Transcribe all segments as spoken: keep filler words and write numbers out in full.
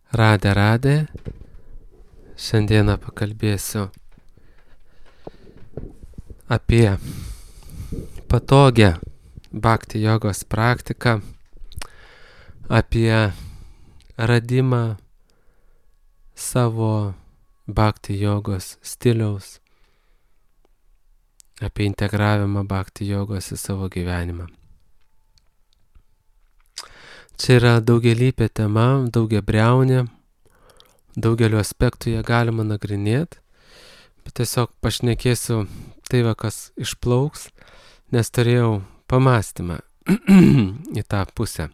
Radė, radė. Šiandieną pakalbėsiu apie patogią bhakti jogos praktiką, apie radimą savo bhakti jogos stiliaus, apie integravimą bhakti jogos į savo gyvenimą. Čia yra daugialypė tema, daugiabriaunė, daugeliu aspektų ją galima nagrinėti, bet tiesiog pašnekėsiu tai, va, kas išplauks, nes turėjau pamastymą į tą pusę.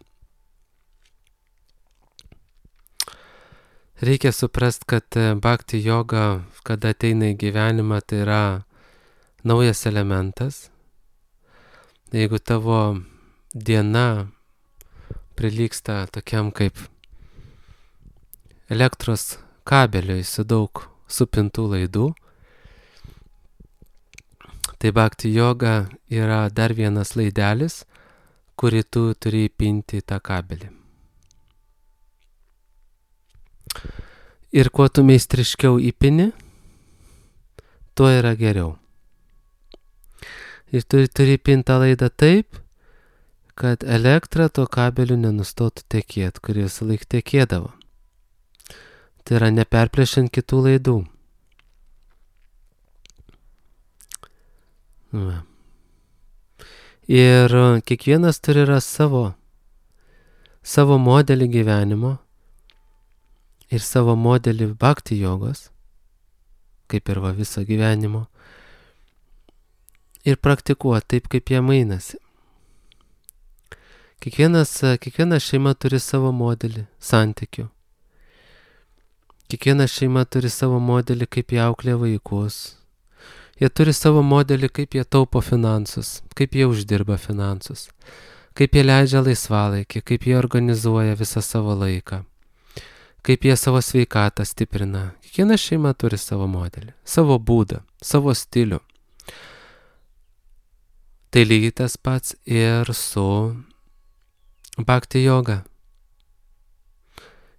Reikia suprast, kad bhakti joga, kada ateina į gyvenimą, tai yra naujas elementas. Jeigu tavo diena prilygsta tokiam kaip elektros kabeliui su daug supintų laidų, tai bhakti joga yra dar vienas laidelis, kurį tu turi įpinti į tą kabelį. Ir kuo tu meistriškiau įpini, tuo yra geriau. Ir tu turi įpinti tą laidą taip, kad elektra tuo kabeliu nenustotų tekėti, kuri visą laiką tekėdavo. Tai yra neperplėšiant kitų laidų. Va. Ir kiekvienas turi ras savo, savo modelį gyvenimo ir savo modelį bhakti jogos, kaip ir va viso gyvenimo, ir praktikuoti taip, kaip jie mainasi. Kiekvienas, kiekviena šeima turi savo modelį santykių. Kiekviena šeima turi savo modelį, kaip jie auklė vaikus. Jie turi savo modelį, kaip jie taupo finansus, kaip jie uždirba finansus, kaip jie leidžia laisvalaikį, kaip jie organizuoja visą savo laiką, kaip jie savo sveikatą stiprina. Kiekviena šeima turi savo modelį, savo būdą, savo stilių. Tai lygiai tas pats ir su bhakti joga.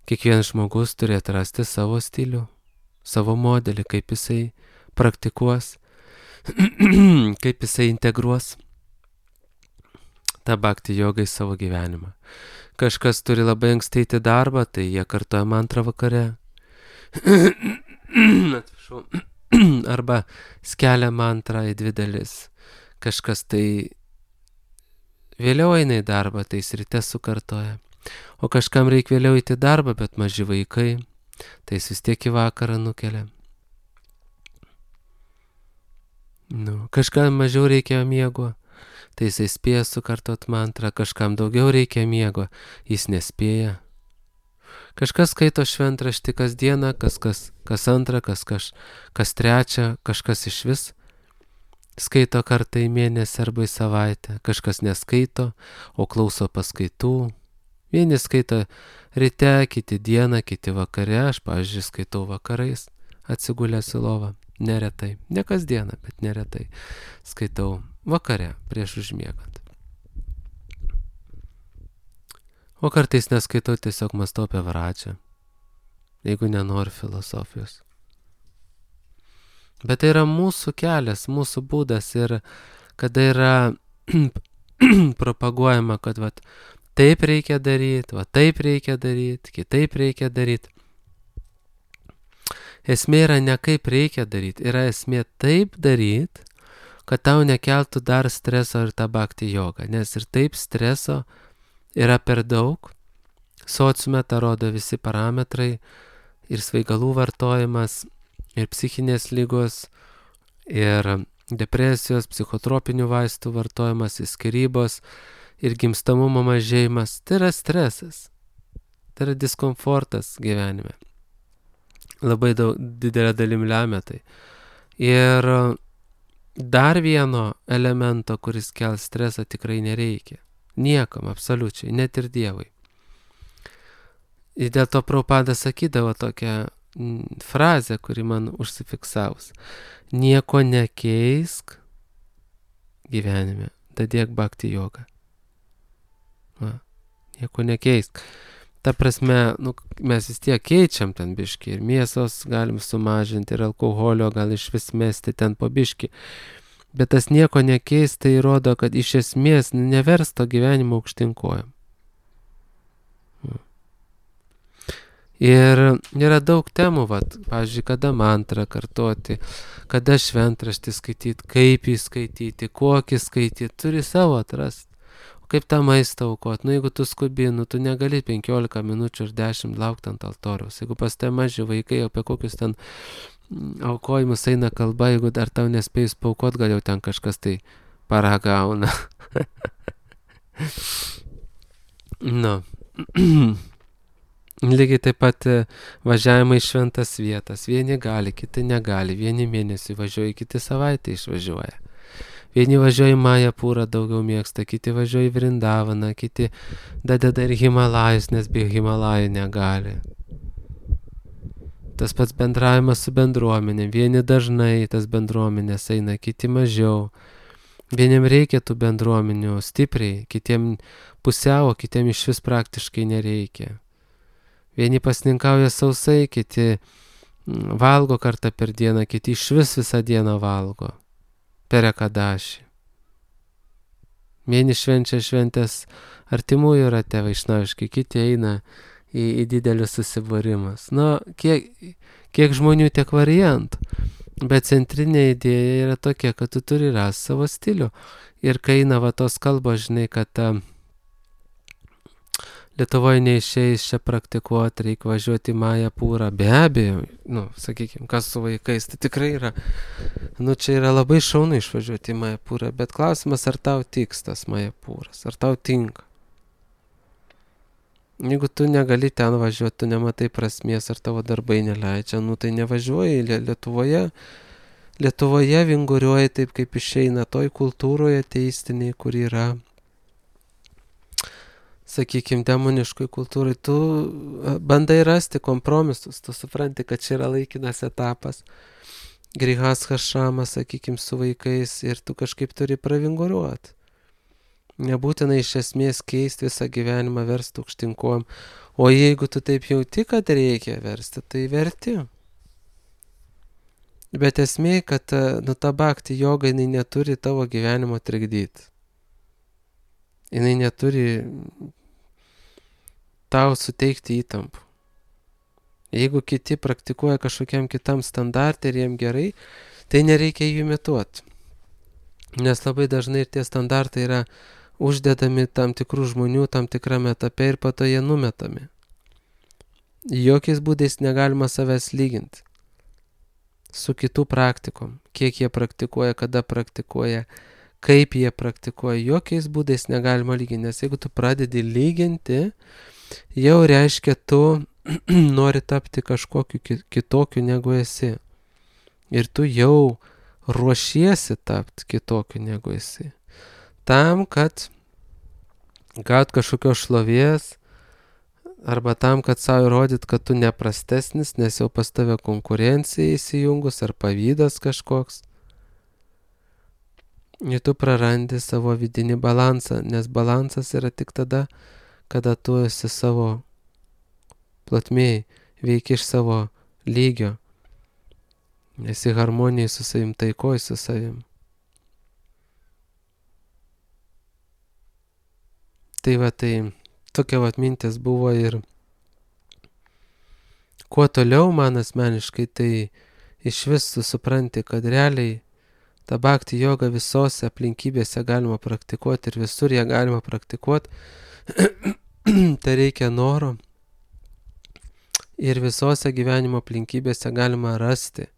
Kiekvienas žmogus turi atrasti savo stilių, savo modelį, kaip jisai praktikuos, kaip jisai integruos tą bhakti jogą į savo gyvenimą. Kažkas turi labai anksti eiti darbą, tai jie kartoja mantrą vakare. Atsiprašau. Arba skelia mantrą į dvi dalis. Kažkas tai vėliau eina į darbą, tai jis ryte sukartoja. O kažkam reikia vėliau eiti į darbą, bet maži vaikai, tai jis vis tiek į vakarą nukelia. Nu, kažkam mažiau reikia miego, tai jisai spėja sukartot mantrą, kažkam daugiau reikia miego, jis nespėja. Kažkas skaito šventraštį kasdieną, kas, kas, kas antrą, kas, kas, kas trečią, kažkas iš vis skaito kartą į mėnesį arba į savaitę, kažkas neskaito, o klauso paskaitų. Vieni skaito ryte, kiti dieną, kiti vakare, aš, pavyzdžiui, skaitau vakarais, atsigulęs į lovą, neretai, ne kasdieną, bet neretai, skaitau vakare, prieš užmiegant. O kartais neskaitau, tiesiog mąstau apie vračią, jeigu nenoriu filosofijos. Bet tai yra mūsų kelias, mūsų būdas ir kada yra propaguojama, kad vat, taip reikia daryti, va taip reikia daryti, kitaip reikia daryti. Esmė yra ne kaip reikia daryti, yra esmė taip daryti, kad tau nekeltų dar streso ir tą bhakti jogą, nes ir taip streso yra per daug. Sociume tą rodo visi parametrai ir svaigalų vartojimas, ir psichinės ligos, ir depresijos, psichotropinių vaistų vartojimas, skyrybos, ir gimstamumo mažėjimas. Tai yra stresas, tai yra diskomfortas gyvenime. Labai daug, didelė dalim lemia tai. Ir dar vieno elemento, kuris kels stresą, tikrai nereikia. Niekam, absoliučiai, net ir Dievui. Ir dėl to Prabhupada sakydavo tokią frazę, kuri man užsifiksavus. Nieko nekeisk gyvenime, dadėk bhakti jogą. Va, nieko nekeisk. ta prasme, nu, mes vis tiek keičiam ten biškį ir mėsos galim sumažinti ir alkoholio gal iš vis mesti ten po biškį. Bet tas nieko nekeis, tai rodo, kad iš esmės nevers to gyvenimo aukštinkojam. Ir yra daug temų, vat, pavyzdžiui, kada mantrą kartoti, kada šventraštį skaityti, kaip jį skaityti, kokį skaityti, turi savo atrasti. O kaip tą maistą aukoti, nu jeigu tu skubi, nu tu negali penkiolika minučių ir dešimt laukti ant altoriaus. Jeigu pas tai maži vaikai, apie kokius ten aukojimus eina kalba, jeigu dar tau nespėjus paaukot, gal jau ten kažkas tai paragauna. Nu. Lygiai taip pat važiavimai į šventas vietas. Vieni gali, kiti negali. Vieni mėnesį važiuoja, kiti savaitę išvažiuoja. Vieni važiuoja į Majapūrą, daugiau mėgsta, kiti važiuoja į Vrindavaną, kiti dadeda ir Himalajus, nes be Himalajų negali. Tas pats bendravimas su bendruomenė. Vieni dažnai tas bendruomenės eina, kiti mažiau. Vieniem reikia tų bendruomenių stipriai, kitiem pusiau, kitiem iš vis praktiškai nereikia. Vieni pasninkauja sausai, kiti valgo kartą per dieną, kiti iš vis visą dieną valgo. Per ekadašį. Vieni švenčia šventės artimųjų rate vaišnaviškai, kiti eina į, į didelius susibūrimus. Nu, kiek, kiek žmonių, tiek variantų. Bet centrinė idėja yra tokia, kad tu turi rasti savo stilių. Ir kai eina va tos kalbos, žinai, kad ta Lietuvoje neišeis čia praktikuoti, reikia važiuoti į Majapūrą. Be abejo, nu, sakykime, kas su vaikais, tai tikrai yra, nu, čia yra labai šaunu išvažiuoti į Majapūrą, bet klausimas, ar tau tiks tas Majapūras, ar tau tinka. Jeigu tu negali ten važiuoti, tu nematai prasmės, ar tavo darbai neleidžia, nu, tai nevažiuoji Lietuvoje. Lietuvoje vinguriuoji taip, kaip išeina toj kultūroje teistiniai, kur yra, sakykime, demoniškoj kultūrai, tu bandai rasti kompromisus, tu supranti, kad čia yra laikinas etapas, grihastha šamas, sakykime, su vaikais ir tu kažkaip turi pravinguriuoti. Nebūtina iš esmės keisti visą gyvenimą, versti aukštinkojom, o jeigu tu taip jauti, kad reikia versti, tai verti. Bet esmė, kad nu, ta bhakti joga, jinai neturi tavo gyvenimo trikdyti. Jinai neturi tau suteikti įtampų. Jeigu kiti praktikuoja kažkokiam kitam standartui ir jiem gerai, tai nereikia jų imituoti. Nes labai dažnai ir tie standartai yra uždedami tam tikrų žmonių tam tikrame etape ir po to jie numetami. Jokiais būdais negalima savęs lyginti su kitų praktikom. Kiek jie praktikuoja, kada praktikuoja, kaip jie praktikuoja, jokiais būdais negalima lyginti. Nes jeigu tu pradedi lyginti, jau reiškia, tu nori tapti kažkokiu kitokiu negu esi. Ir tu jau ruošiesi tapti kitokiu negu esi. Tam, kad gaut kažkokios šlovės, arba tam, kad savo įrodyt, kad tu neprastesnis, nes jau pas tave konkurencija įsijungus, ar pavydas kažkoks. Ir tu prarandi savo vidinį balansą, nes balansas yra tik tada, kada tu esi savo plotmėj, veiki iš savo lygio, esi harmonijai su savim, taikoj su savim. Tai va, tai tokia va mintis buvo ir kuo toliau man asmeniškai, tai iš vis tu supranti, kad realiai ta bhakti joga visose aplinkybėse galima praktikuoti ir visur ją galima praktikuoti. Tai reikia noro ir visose gyvenimo aplinkybėse galima rasti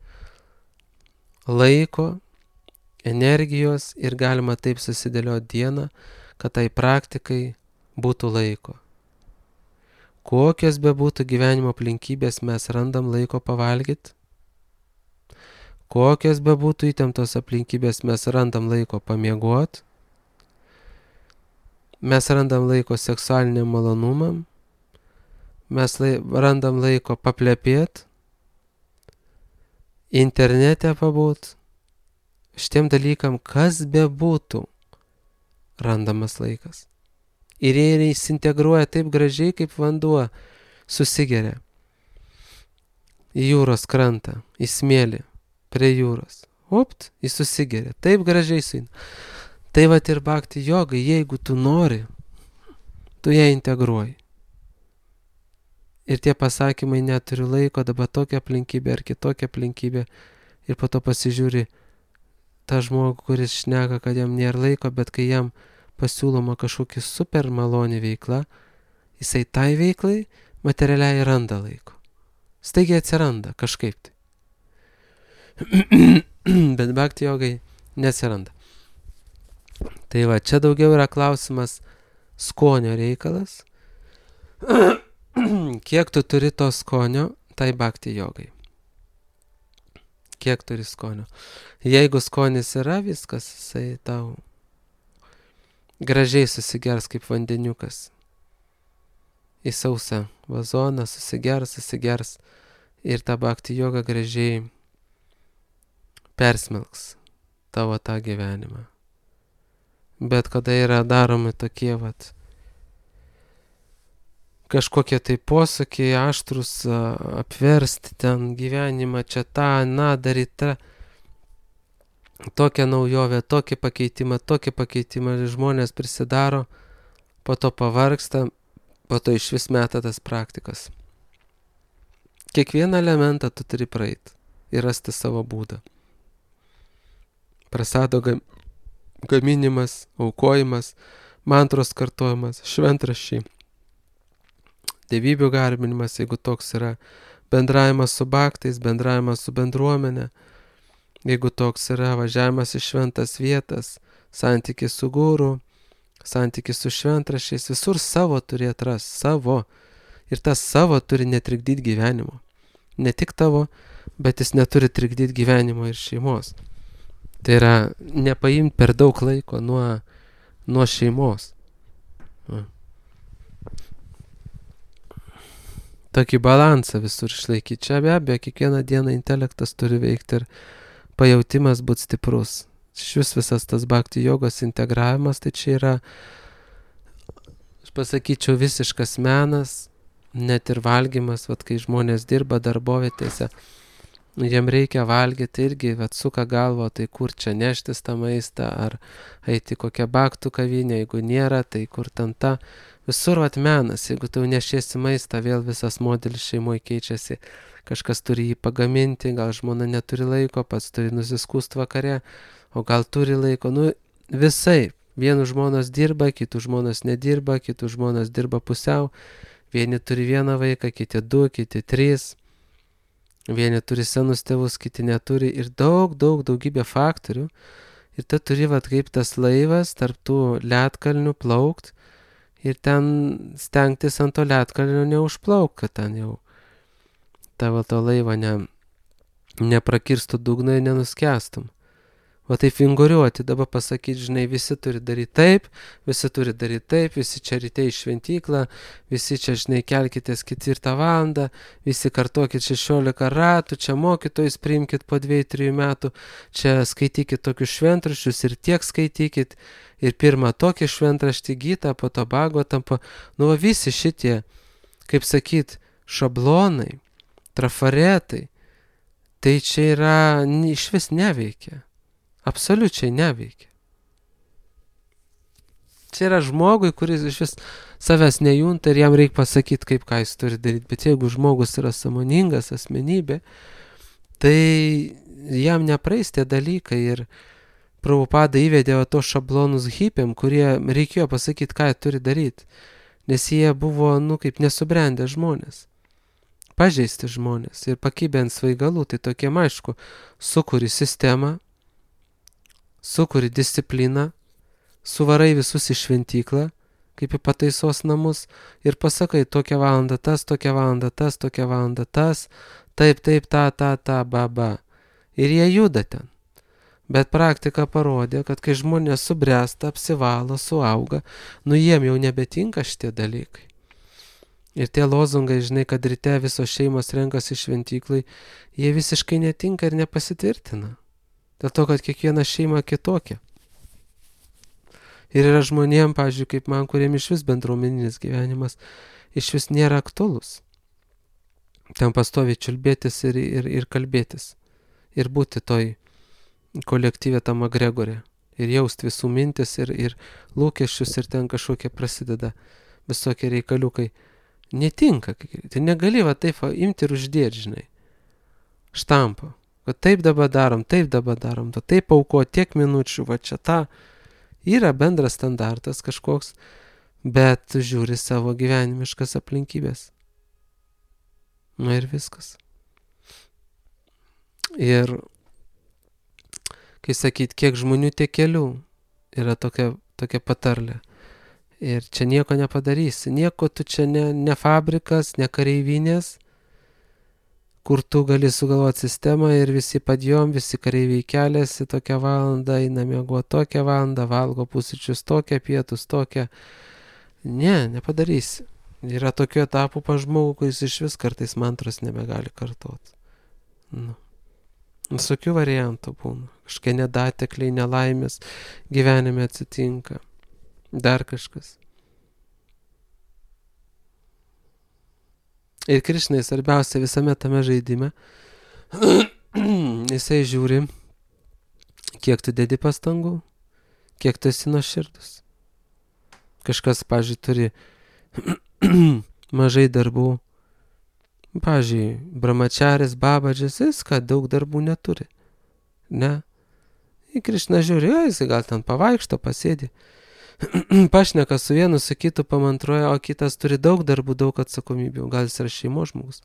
laiko, energijos ir galima taip susidėlioti dieną, kad tai praktikai būtų laiko. Kokios bebūtų gyvenimo aplinkybės, mes randam laiko pavalgyti. Kokios bebūtų įtemptos aplinkybės, mes randam laiko pamiegoti. Mes randam laiko seksualiniam malonumam. Mes lai, randam laiko paplepėti. Internete pabūt. Šitiem dalykam, kas bebūtų, randamas laikas. Ir jie įsintegruoja taip gražiai, kaip vanduo susigeria į jūros krantą, į smėlį, prie jūros. Opt, jis susigeria, taip gražiai suina. Tai vat ir bhakti jogai, jeigu tu nori, tu ją integruoji. Ir tie pasakymai neturiu laiko, dabar tokia aplinkybė ar kitokia aplinkybė. Ir po to pasižiūri tą žmogų, kuris šneka, kad jam nėra laiko, bet kai jam pasiūloma kažkokia super maloni veikla, jisai tai veiklai materialiai randa laiko. Staigiai atsiranda kažkaip tai. Bet bhakti jogai neatsiranda. Tai va, čia daugiau yra klausimas skonio reikalas. Kiek tu turi to skonio, tai bhakti jogai. Kiek turi skonio. Jeigu skonis yra, viskas, jisai tau gražiai susigers kaip vandeniukas. Į sausą vazoną susigers, susigers ir ta bhakti joga gražiai persmelks tavo tą gyvenimą. Bet kada yra daromi tokie vat kažkokie tai posakiai aštrus, apversti ten gyvenimą, čia tą, na, daryti tą, tokią naujovę, tokį pakeitimą, tokį pakeitimą, žmonės prisidaro, po to pavargsta, po to iš vis meta tas praktikas. Kiekvieną elementą tu turi praeiti ir rasti savo būdą. Prasado gaminimas, aukojimas, mantros kartojimas, šventraščiai, dievybių garbinimas, jeigu toks yra, bendravimas su bhaktais, bendravimas su bendruomenė, jeigu toks yra, važiavimas į šventas vietas, santykis su guru, santykis su šventraščiais, visur savo turi atras, savo. Ir tas savo turi netrikdyti gyvenimo. Ne tik tavo, bet jis neturi trikdyti gyvenimo ir šeimos. Tai yra nepaimti per daug laiko nuo, nuo šeimos. Va. Tokį balansą visur išlaikyti. Čia be abejo, kiekvieną dieną intelektas turi veikti ir pajautimas būti stiprus. Šis visas tas bhakti jogos integravimas, tai čia yra, aš pasakyčiau, visiškas menas, net ir valgymas, vat, kai žmonės dirba darbovietėse, jiem reikia valgyti irgi, vat, suka galvo, tai kur čia neštis tą maistą, ar eiti kokią bhaktų kavinę, jeigu nėra, tai kur ten ta. Visur vat menas, jeigu tu nešiesi maistą, vėl visas modelis šeimoje keičiasi, kažkas turi jį pagaminti, gal žmona neturi laiko, pats turi nusiskust vakare, o gal turi laiko, nu visai, vienų žmonos dirba, kitų žmonos nedirba, kitų žmonos dirba pusiau, vieni turi vieną vaiką, kiti du, kiti trys, vieni turi senus tėvus, kiti neturi ir daug, daug, daugybė faktorių ir tu turi vat kaip tas laivas tarp tų ledkalnių plaukt ir ten stengtis ant to ledkalnio neužplauk, kad ten jau tavo to laivo ne, neprakirstų dugną ir nenuskęstum. O taip vinguriuoti, dabar pasakyti, žinai, visi turi daryti taip, visi turi daryti taip, visi čia ryte į šventyklą, visi čia, žinai, kelkitės ketvirtą valandą, visi kartokit šešiolika ratų, čia mokytojus priimkit po dviejų trijų metų, čia skaitykit tokius šventraščius ir tiek skaitykit, ir pirmą tokį šventraštį gytą, po to Bhagavatam, po... nu visi šitie, kaip sakyt, šablonai, trafaretai, tai čia yra, iš vis neveikia. Absoliučiai neveikia. Čia yra žmogui, kuris iš vis savęs nejunta ir jam reikia pasakyti, kaip ką jis turi daryti. Bet jeigu žmogus yra sąmoningas asmenybė, tai jam nepraeis tie dalykai. Ir Prabhupada įvedė to šablonus hipiam, kurie reikėjo pasakyti, ką jie turi daryti. Nes jie buvo, nu, kaip nesubrendę žmonės. Pažeisti žmonės ir pakibę ant svaigalų. Tai tokie, aišku, sukuri sistemą, sukuri discipliną, suvarai visus į šventyklą, kaip į pataisos namus, ir pasakai, tokią valandą tas, tokią valandą tas, tokią valandą tas, taip, taip, ta, ta, ta, ba, ba. Ir jie juda ten. Bet praktika parodė, kad kai žmonės subręsta, apsivalo, suauga, nu jiem jau nebetinka šitie dalykai. Ir tie lozungai, žinai, kad ryte visos šeimos renkasi šventyklai, jie visiškai netinka ir nepasitvirtina. Dėl to, kad kiekviena šeima kitokia. Ir yra žmonėm, pavyzdžiui, kaip man, kuriem iš vis bendruomeninis gyvenimas iš vis nėra aktualus. Ten pastoviai čiulbėtis ir, ir, ir kalbėtis. Ir būti toj kolektyvė tam agregorė. Ir jausti visų mintis ir, ir lūkesčius ir ten kažkokie prasideda visokie reikaliukai. Netinka. Tai negali va taip va, imti ir uždėti, žinai. Štampą. Kad taip dabar darom, taip dabar darom. Taip auko tiek minučių, va čia ta. Yra bendras standartas kažkoks, bet tu žiūri savo gyvenimiškas aplinkybės. Nu ir viskas. Ir, kai sakyt, kiek žmonių, tiek kelių, yra tokia, tokia patarlė. Ir čia nieko nepadarysi. Nieko tu čia ne, ne fabrikas, ne kareivinės, kur tu gali sugalvoti sistemą ir visi padjom, visi kareiviai keliasi tokią valandą, eina miego tokią valandą, valgo pusryčius tokią, pietus tokią. Ne, nepadarysi. Yra tokių etapų pa žmogų, kuris iš vis kartais mantros nebegali kartoti. Nu. Visokių variantų būna. Kažkai nedatekliai, nelaimės gyvenime atsitinka. Dar kažkas. Ir Krišnai svarbiausia visame tame žaidime, jisai žiūri, kiek tu dedi pastangų, kiek tu esi nuoširdus. Kažkas, pavyzdžiui, turi mažai darbų. Pavyzdžiui, brahmačaris, babadžis, viską, daug darbų neturi. Ne? Į Krišną žiūri, jo, jisai gal ten pavaikšto, pasėdi. Pašneka su vienu, su kitu pamantruoja, o kitas turi daug darbų, daug atsakomybių. Gal jis yra šeimos žmogus.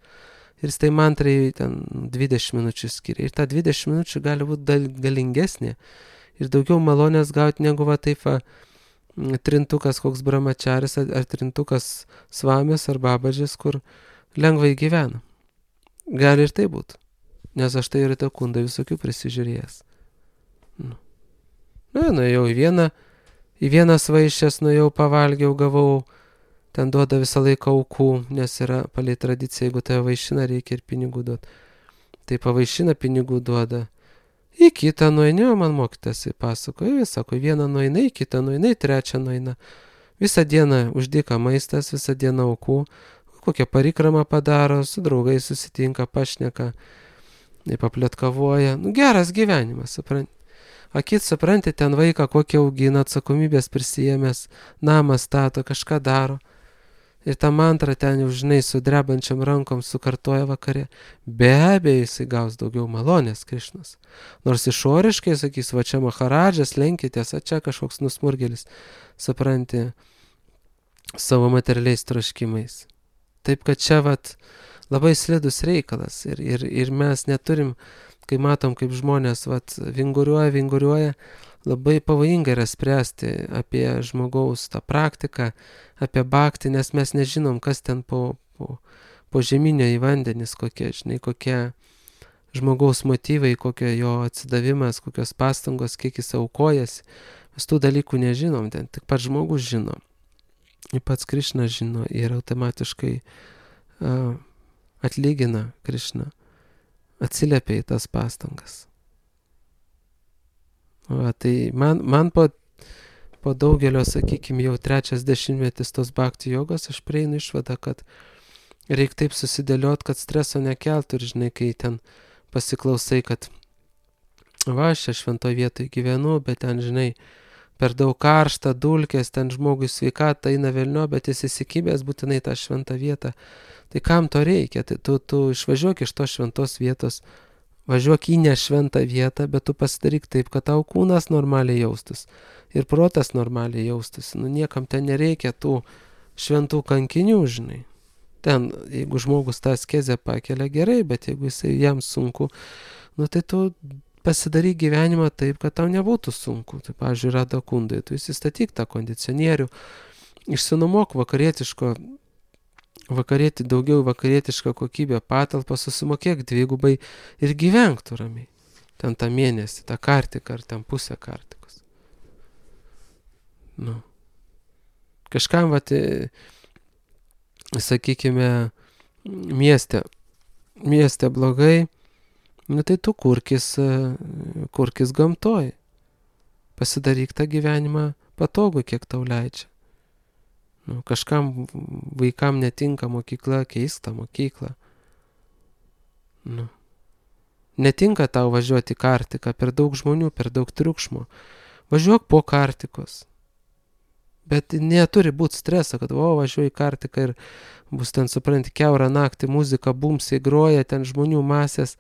Ir jis tai mantrai ten dvidešimt minučių skiria. Ir ta dvidešimt minučių gali būti galingesnė. Ir daugiau malonės gauti negu va taip va, trintukas koks brahmačaris ar trintukas svamis ar babadžis, kur lengvai gyvena. Gali ir tai būti. Nes aš tai ir tą kundą visokių prisižiūrėjęs. Nu, nu nuėjau į vieną, į vienas vaišės, nuėjau, pavalgiau, gavau, ten duoda visą laiką aukų, nes yra palei tradicija, jeigu tave vaišina, reikia ir pinigų duoti. Tai pavaišina, pinigų duoda. Į kitą nueini, o man mokytas pasakoja, jis sako, vieną nueina, į kitą nueina, į trečią nueina. Visą dieną uždyka maistas, visą dieną aukų, kokią parikramą padaro, su draugais susitinka, pašneka, papletkavoja. Nu, geras gyvenimas, supranti. Akit, supranti, ten vaiką kokį augina, atsakomybės prisijėmęs, namą stato, kažką daro. Ir tą mantrą ten jau, žinai, su drebančiam rankom sukartoja vakare. Be abejo, jisai gaus daugiau malonės, Krišnas. Nors išoriškai, sakys, va čia maharadžas, lenkitės, a čia kažkoks nusmurgelis, supranti, savo materialiais troškimais. Taip, kad čia, vat, labai slidus reikalas. Ir, ir, ir mes neturim, kai matom, kaip žmonės, vat, vinguriuoja, vinguriuoja, labai pavojinga yra spręsti apie žmogaus tą praktiką, apie bhaktį, nes mes nežinom, kas ten po, po, po žeminio į vandenis, kokie, žinai, kokie žmogaus motyvai, kokie jo atsidavimas, kokios pastangos, kiek jis aukojasi. Mes tų dalykų nežinom, ten tik pats žmogus žino. Ir pats Krišna žino ir automatiškai uh, atlygina Krišna, atsiliepia į tas pastangas. Va, tai man, man po, po daugelio, sakykime, jau trečias dešimtmetis tos bhakti jogos, aš prieinu išvadą, kad reikia taip susidėliot, kad streso nekeltų ir, žinai, kai ten pasiklausai, kad va, aš čia šventoj vietoj gyvenu, bet ten, žinai, per daug karšta, dulkės, ten žmogui sveikata eina velnio, bet jis įsikibęs būtinai tą šventą vietą. Tai kam to reikia? Tai tu, tu išvažiuok iš tos šventos vietos, važiuok į nešventą vietą, bet tu pasidaryk taip, kad tau kūnas normaliai jaustus ir protas normaliai jaustus. Nu, niekam ten nereikia tų šventų kankinių, žinai. Ten, jeigu žmogus tą askezę pakelia gerai, bet jeigu jisai jam sunku, nu tai tu pasidaryk gyvenimą taip, kad tau nebūtų sunku. Tai, pavyzdžiui, Radha Kundai, tu įsistatyk tą kondicionierių, išsinuomok vakarietiško, vakarieti, daugiau vakarietišką kokybę patalpą, susimokėk dvigubai ir gyvenk tu ramiai. Ten tą mėnesį, tą kartiką ar ten pusę kartikos. Nu. Kažkam, vat, sakykime, mieste, mieste blogai, nu tai tu kurkis, kurkis gamtoj. Pasidaryk tą gyvenimą patogu, kiek tau leidžia. Nu, kažkam vaikam netinka mokykla, keista mokykla. Nu. Netinka tau važiuoti į kartiką, per daug žmonių, per daug triukšmo. Važiuok po kartikos. Bet neturi būti streso, kad o, važiuoju į kartiką ir bus ten, supranti, kiaurą naktį muzika, bumsiai groja, ten žmonių masės.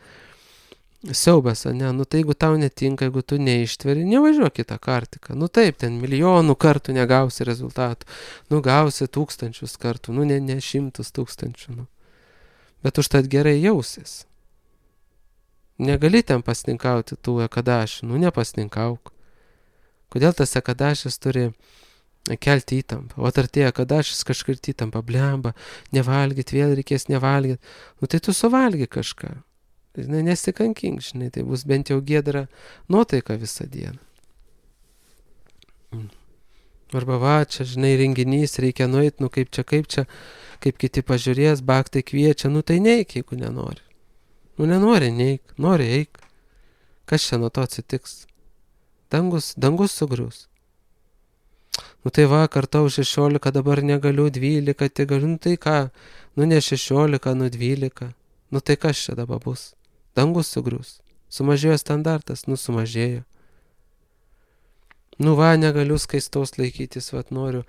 Siaubas, ne? Nu tai jeigu tau netinka, jeigu tu neištveri, nevažiuok į tą kartiką. Nu taip, ten milijonų kartų negausi rezultatų. Nu gausi tūkstančius kartų, nu ne, ne šimtus tūkstančių. Nu. Bet užtat gerai jausis. Negali ten pasninkauti tų ekadašių, nu nepasninkauk. Kodėl tas ekadašis turi kelti įtampą? O ar tie ekadašis kažkaip įtampą, blemba, nevalgyt, vėl reikės nevalgyt. Nu tai tu suvalgy kažką. Žinai, nesikankink, žinai, tai bus bent jau giedra nuotaika visą dieną. Arba va, čia, žinai, renginys, reikia nueit, nu kaip čia, kaip čia, kaip kiti pažiūrės, baktai kviečia, nu tai neik, jeigu nenori. Nu nenori, neik, nori, eik. Kas čia nuo to atsitiks? Dangus, dangus sugrius. Nu tai va, kartau šešiolika, dabar negaliu, dvylika, tai galiu, nu tai ką, nu ne šešiolika, nu dvylika. Nu tai kas čia dabar bus? Dangus sugrius. Sumažėjo standartas, nu sumažėjo. Nu va, negaliu skaistaus laikytis, va, noriu,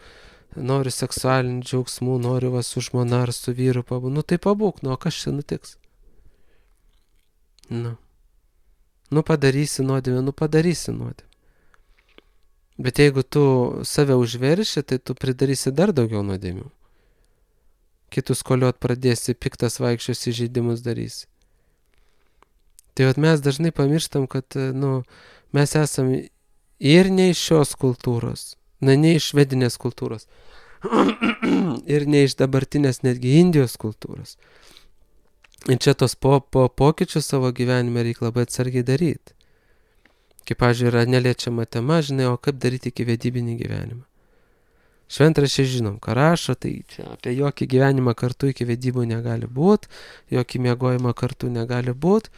noriu seksualinių džiaugsmų, noriu va su žmona ar su vyru pabūti. Nu tai pabūk, nu o kas čia nutiks? Nu. Nu padarysi nuodėmę, nu padarysi nuodėmę. Bet jeigu tu save užverši, tai tu pridarysi dar daugiau nuodėmių. Kitus koliot pradėsi, piktas vaikščios įžeidimus darysi. Tai vat mes dažnai pamirštam, kad nu, mes esam ir ne iš šios kultūros, na, ne iš švedinės kultūros, ir ne iš dabartinės netgi Indijos kultūros. Ir čia tos po, po pokyčius savo gyvenime reikia labai atsargiai daryti. Kaip, pavyzdžiui, yra neliečiama tema, žinai, o kaip daryti iki vedybinį gyvenimą. Šventraščiai žinom, ką rašo, tai čia apie jokį gyvenimą kartu iki vedybų negali būti, jokį miegojimą kartu negali būti,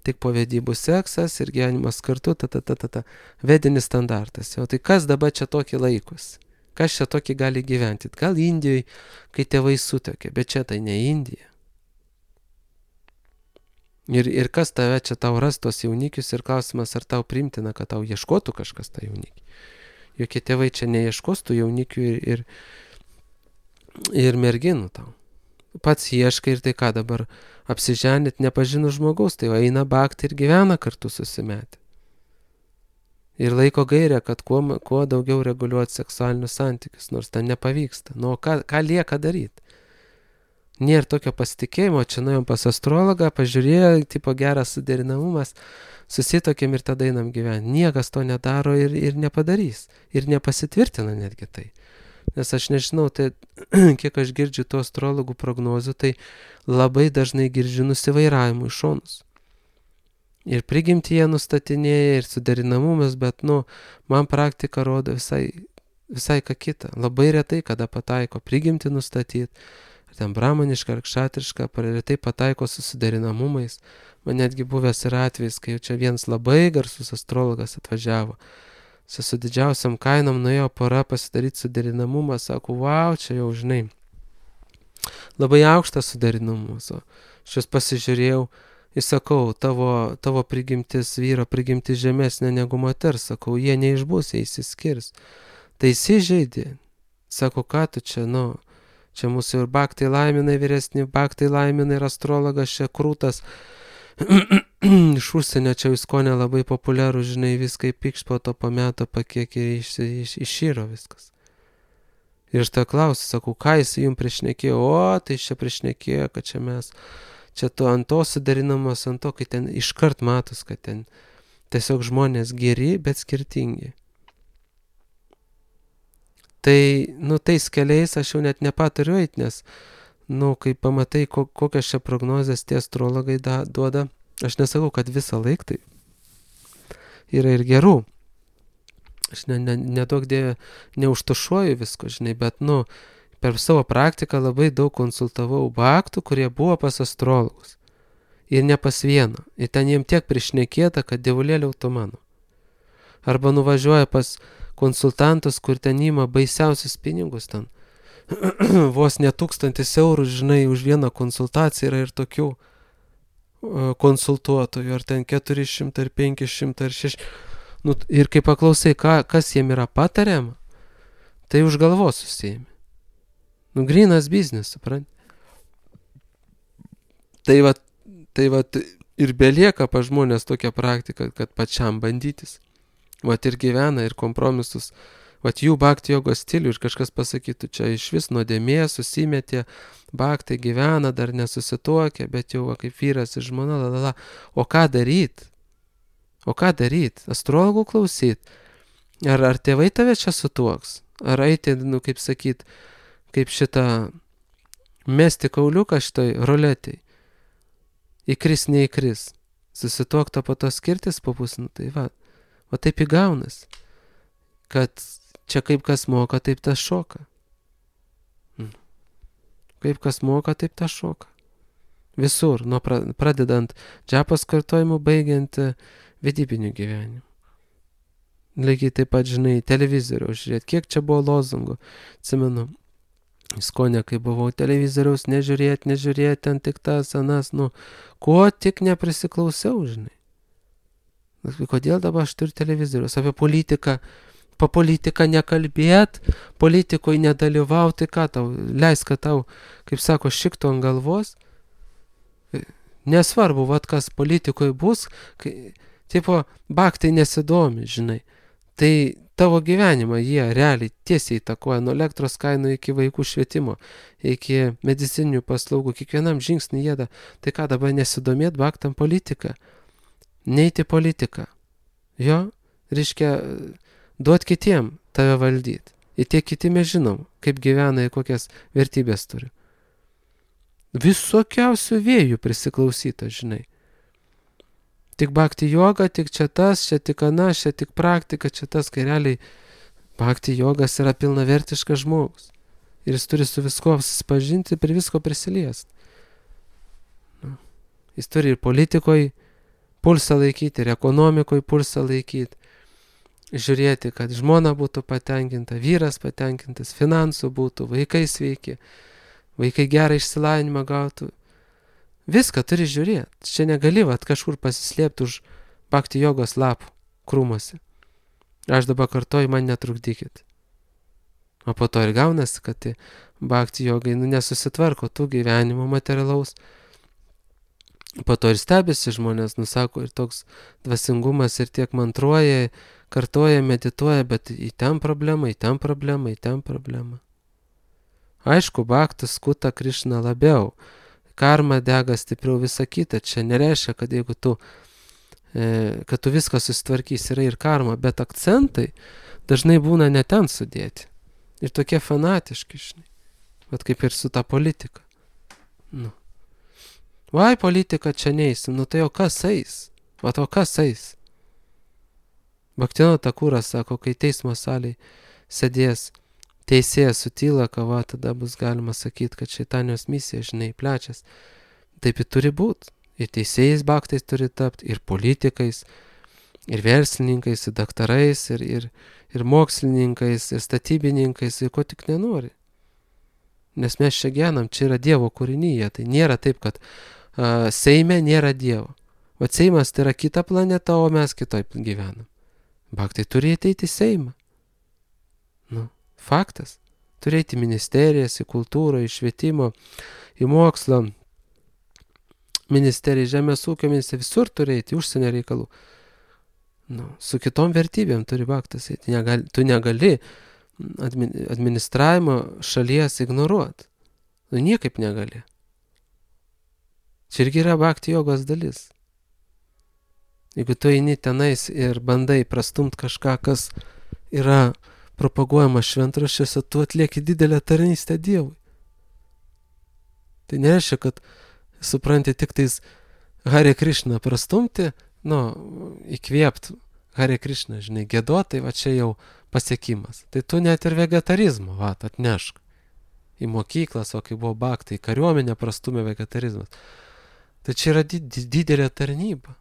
tik po vedybų seksas ir gyvenimas kartu, ta, ta, ta, ta, ta. Vedinis standartas. O tai kas dabar čia tokį laikus? Kas čia tokį gali gyventi? Gal Indijoje, kai tėvai sutokia, bet čia tai ne Indija. Ir, ir kas tave čia tau ras tos jaunikius ir klausimas, ar tau primtina, kad tau ieškotų kažkas tą jaunikį. Jokie tėvai čia neieškos tų jaunikių ir, ir, ir merginų tau. Pats ieškai ir tai ką dabar apsiženit nepažinus žmogaus, tai eina bakti ir gyvena kartu susimetę. Ir laiko gairę, kad kuo, kuo daugiau reguliuoti seksualinius santykius, nors ten nepavyksta. Nu, ką, ką lieka daryti? Nėra tokio pasitikėjimo, čia nuėjom pas astrologą, pažiūrėjo, tipo geras suderinamumas, susitokėm ir tada einam gyventi. Niekas to nedaro ir, ir nepadarys. Ir nepasitvirtina netgi tai. Nes aš nežinau, tai kiek aš girdžiu tų astrologų prognozių, tai labai dažnai girdžiu nusivairavimų iš šonus. Ir prigimtyje nustatinėja, ir suderinamumas, bet, nu, man praktika rodo visai, visai ką kitą. Labai retai, kada pataiko prigimtį nustatyti. Ten bramaniška ar kšatriška, retai pataiko su suderinamumais. Man netgi buvęs ir atvejis, kai čia vienas labai garsus astrologas atvažiavo. Čia su didžiausiam kainom nuėjo pora pasidaryti suderinamumą, sako, wow, čia jau žinai. Labai aukštas suderinamumas. Aš jūs pasižiūrėjau, įsakau, tavo, tavo prigimtis, vyro prigimtis žemesnė negu moters, sakau, jie neišbus, jie įsiskirs. Tai įsižeidė. Sako, ką tu čia, nu... Čia mūsų ir baktai laiminai vyresni, baktai laiminai ir astrologas čia krūtas. Iš užsienio čia viskonė labai populiarų, žinai, viską įpykš po to po meto pakiek ir iš, iš, išyro viskas. Ir aš tą klausiu, sakau, ką jis jums priešnekėjo? O, tai čia priešnekėjo, kad čia mes, čia to ant to sudarinamos, ant to, kai ten iškart matos, kad ten tiesiog žmonės geri, bet skirtingi. Tai, nu, tais keliais aš jau net nepatariu eit, nes, nu, kai pamatai, ko, kokias čia prognozes tie astrologai da, duoda, aš nesakau, kad visą laik tai yra ir gerų. Aš ne, ne, nedaug dėvė, neužtušuoju visko, žinai, bet, nu, per savo praktiką labai daug konsultavau baktų, kurie buvo pas astrologus. Ir ne pas vieną. Ir ten jiem tiek prišnekėta, kad dievulėliau tu mano. Arba nuvažiuoja pas konsultantus, kur ten ima baisiausius pinigus ten. Vos ne tūkstantis eurų, žinai, už vieną konsultaciją yra ir tokių uh, konsultuotojų, ar ten keturi šimtai, ar penki šimtai, ar šeši. Nu, ir kai paklausai, ką, kas jiem yra patariama, tai už galvos susijimi. Nu, grynas biznis, suprant. Tai va, tai va, ir belieka pa žmonės tokia praktika, kad pačiam bandytis. Vat ir gyvena, ir kompromisus. Vat jų bhakti jogos stilių ir kažkas pasakytų, čia iš vis nuodėmė, susimetė, bhakti gyvena, dar nesusituokė, bet jau va, kaip vyras ir žmona, lalala. O ką daryt? O ką daryt? Astrologų klausyt? Ar, ar tėvai tave čia sutuoks? Ar eiti, nu, kaip sakyt, kaip šitą mesti kauliuką šitoj roletėj? Įkris, neįkris. Susituokto po to skirtis po pusę, nu, tai va. O taip įgaunas, kad čia kaip kas moka, taip tas šoka. Kaip kas moka, taip tas šoka. Visur, nuo pradedant džapos kartojimu, baigiant vedybiniu gyvenimu. Lygiai taip pat, žinai, televizoriaus žiūrėti, kiek čia buvo lozungų. Atsimenu, Skonė, kai buvau televizoriaus, nežiūrėti, nežiūrėti, ten tik tas, anas, nu, ko tik neprisiklausiau, žinai. Kodėl dabar aš turiu televizorius? Apie politiką, po politiką nekalbėt, politikoje nedalyvauti, ką tau, leis, kad tau, kaip sako, šiktų ant galvos. Nesvarbu, vat kas politikoje bus, kai, tipo, bhaktai nesidomi, žinai. Tai tavo gyvenimą jie realiai tiesiai įtakoja nuo elektros kainų iki vaikų švietimo, iki medicininių paslaugų, kiekvienam žingsnį jėda. Tai ką dabar nesidomėt bhaktam politiką? Neiti politiką. Jo, reiškia, duot kitiem tave valdyti. Ir tie kiti mes žinom, kaip gyvena ir kokias vertybės turi. Visokiausių vėjų prisiklausyta, žinai. Tik bhakti joga, tik čia tas, čia tik anas, čia tik praktika, čia tas, kai realiai bhakti jogas yra pilnavertiškas žmogus. Ir jis turi su visko susipažinti, prie visko prisiliesti. Nu. Jis turi ir politikoje pulsą laikyti, ir ekonomikoje pulsą laikyti. Žiūrėti, kad žmona būtų patenkinta, vyras patenkintas, finansų būtų, vaikai sveiki, vaikai gerą išsilavinimą gautų. Viską turi žiūrėti. Čia negali vat kažkur pasislėpti už bhakti jogos lapų krūmuose. Aš dabar kartoju, man netrukdykit. O po to ir gaunasi, kad tai bhakti jogai nu, nesusitvarko tų gyvenimo materialaus. Po to ir stebisi žmonės, nusako, ir toks dvasingumas ir tiek mantruoja, kartoja, medituoja, bet į ten problemą, į ten problemą, į ten problemą. Aišku, bhaktas skuta Krišna labiau. Karma dega stipriau, visa kita. Čia nereiškia, kad jeigu tu, e, kad tu viską susitvarkys, yra ir karma, bet akcentai dažnai būna ne ten sudėti. Ir tokie fanatiški, žinai. Vat kaip ir su ta politika. Nu. Vai, politika čia neįsim, nu tai o kas eis? Vat o kas eis? Bhaktino Takuras sako, kai teismo salėje sėdės teisėjas sutyla kava, tada bus galima sakyti, kad šeitanijos misija, žinai, plečias. Taip ir turi būti. Ir teisėjais bhaktais turi tapti, ir politikais, ir verslininkais, ir daktarais, ir, ir, ir mokslininkais, ir statybininkais, ir ko tik nenori. Nes mes čia gyvenam, čia yra Dievo kūrinyje. Tai nėra taip, kad a, Seime nėra Dievo. O Seimas tai yra kita planeta, o mes kitoj gyvenam. Bhaktai turi ateiti į Seimą. Nu. Faktas. Turėti ministerijas, į kultūrą, į švietimo, į mokslo, ministeriją, žemės ūkio ministeriją, visur turėti, užsienio reikalų. Nu, su kitom vertybėm turi bhaktas. Negali, tu negali administravimo šalies ignoruoti. Nu, niekaip negali. Čia irgi yra bhakti jogos dalis. Jeigu tu eini tenais ir bandai prastumt kažką, kas yra propaguojama šventraščiuose, tu atlieki didelę tarnystę Dievui. Tai nereiškia, kad supranti tik tais Hare Krishna prastumti, nu, įkvėpt Hare Krishna, žinai, gėduotai, va čia jau pasiekimas. Tai tu net ir vegetarizmą, va, atnešk į mokyklas, o kai buvo bhaktai, kariuomenė prastumė vegetarizmas. Tai čia yra did, didelė tarnyba.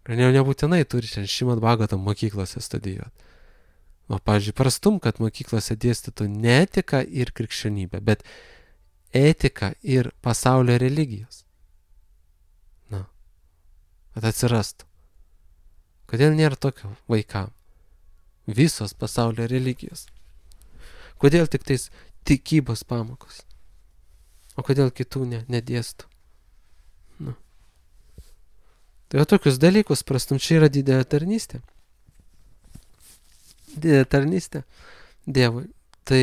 Ir ne, nebūtinai turi šiandien Šrimad Bhagavatam mokyklose studijuoti. O, pavyzdžiui, prastum, kad mokyklose dėstytų ne etiką ir krikščionybę, bet etiką ir pasaulio religijos. Na, kad atsirastų. Kodėl nėra tokio vaikam? Visos pasaulio religijos. Kodėl tik tais tikybos pamokos? O kodėl kitų ne, nedėstų? Na. Tai jau tokius dalykus prastum, čia yra didelė tarnystė. Didelė tarnystė Dievui. Tai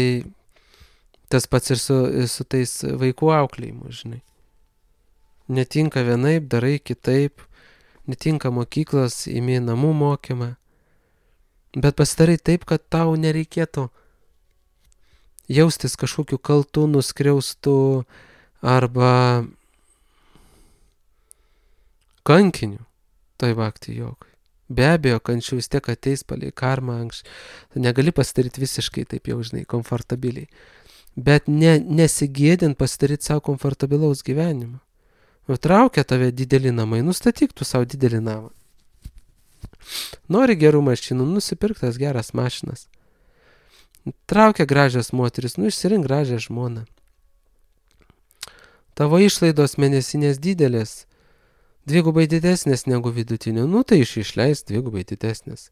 tas pats ir su, su tais vaikų auklėjimu, žinai. Netinka vienaip, darai kitaip, netinka mokyklos, imi namų mokymą, bet pasidarai taip, kad tau nereikėtų jaustis kažkokiu kaltu, nuskriaustu arba kankiniu toj bhakti jogai. Be abejo, kančių vis tiek ateis palei karmą anksčiau. Tu negali pasidaryti visiškai taip jau, žinai, komfortabiliai. Bet ne, nesigėdint pasidaryti savo komfortabilaus gyvenimo. Traukia tave dideli namai, nustatyk tu savo didelį namą. Nori gerų mašinų, nusipirk tas geras mašinas. Traukia gražias moteris, nu išsirink gražią žmoną. Tavo išlaidos mėnesinės didelės, dvigubai didesnės negu vidutinio, nu tai iš išleis dvigubai didesnės.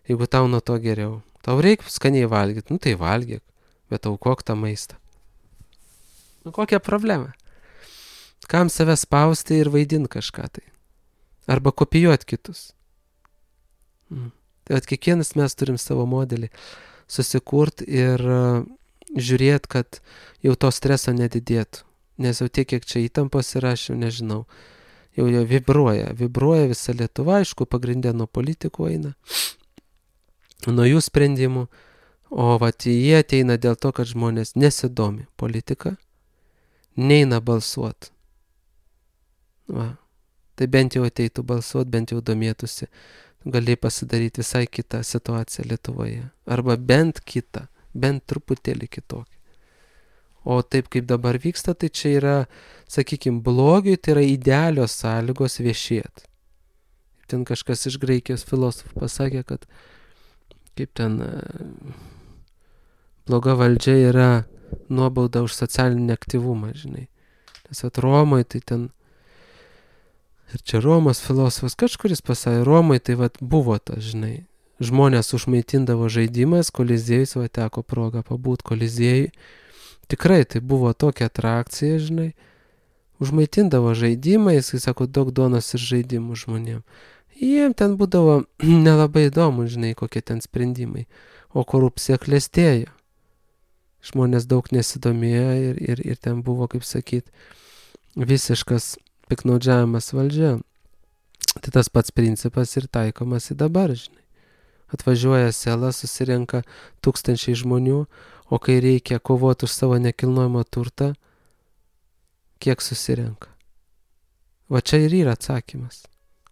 Jeigu tau nuo to geriau. Tau reikia skaniai valgyti, nu tai valgyk, bet aukok tą maistą. Nu kokia problema? Kam save spausti ir vaidinti kažką tai? Arba kopijuoti kitus. Mm. Tai at kiekvienas mes turim savo modelį susikurti ir uh, žiūrėti, kad jau to streso nedidėtų. Nes jau tiek, kiek čia įtampos yra, aš jau nežinau. Jau jau vibruoja, vibruoja visa Lietuva, aišku, pagrindė nuo politikų eina, nuo jų sprendimų, o vat jie ateina dėl to, kad žmonės nesidomi politika, neina balsuoti. Va. Tai bent jau ateitų balsuoti, bent jau domėtųsi, gali pasidaryti visai kitą situaciją Lietuvoje, arba bent kitą, bent truputėlį kitokį. O taip kaip dabar vyksta, tai čia yra, sakykime, blogiui, tai yra idealios sąlygos viešėti. Ten kažkas iš Graikijos filosofų pasakė, kad kaip ten bloga valdžia yra nuobauda už socialinį aktyvumą, žinai. Nes at Romoje tai ten, ir čia Romos filosofas kažkuris pasakė, Romoje tai vat buvo tas, žinai. Žmonės užmaitindavo žaidimas, Koliziejus, va teko progą pabūt Koliziejui. Tikrai tai buvo tokia atrakcija, žinai, užmaitindavo žaidimą, jis, sako, daug duonos ir žaidimų žmonėm. Jiem ten būdavo nelabai įdomu, žinai, kokie ten sprendimai, o korupcija klestėjo. Žmonės daug nesidomėjo ir, ir, ir ten buvo, kaip sakyt, visiškas piknaudžiavimas valdžia. Tai tas pats principas ir taikomas į dabar, žinai. Atvažiuoja sela, susirenka tūkstančiai žmonių, o kai reikia kovoti už savo nekilnojamą turtą, kiek susirenka. Va čia ir yra atsakymas,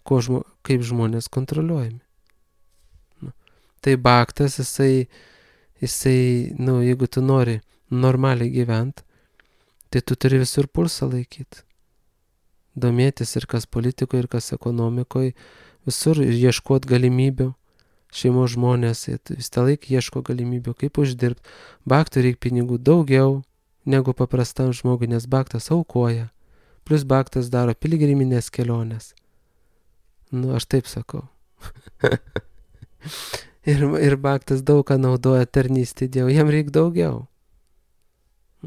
ko žmo, kaip žmonės kontroliuojami. Nu. Tai bhaktas, jisai, jisai, nu, jeigu tu nori normaliai gyventi, tai tu turi visur pulsą laikyti. Domėtis ir kas politikoje, ir kas ekonomikoje, visur ir ieškoti galimybių. Šeimos žmonės vis tą laiką ieško galimybių, kaip uždirbti. Bhaktui reikia pinigų daugiau negu paprastam žmogui, nes bhaktas aukoja. Plus bhaktas daro piligriminės kelionės. Nu, aš taip sakau. ir, ir bhaktas daug ką naudoja tarnystė Dievui, jam reikia daugiau.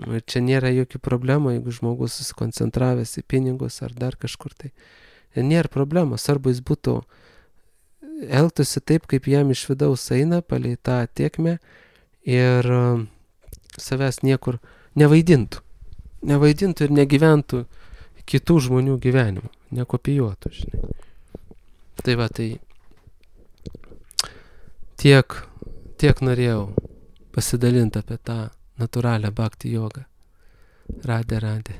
Ir čia nėra jokių problemų, jeigu žmogus susikoncentravęs į pinigus ar dar kažkur tai. Ir nėra problemos, arba jis būtų elgtųsi taip, kaip jam iš vidaus eina, palei tą tiekmę ir uh, savęs niekur nevaidintų. Nevaidintų ir negyventų kitų žmonių gyvenimų, nekopijuotų, žinai. Tai va, tai tiek, tiek norėjau pasidalinti apie tą natūralią bhakti jogą. Radė, radė.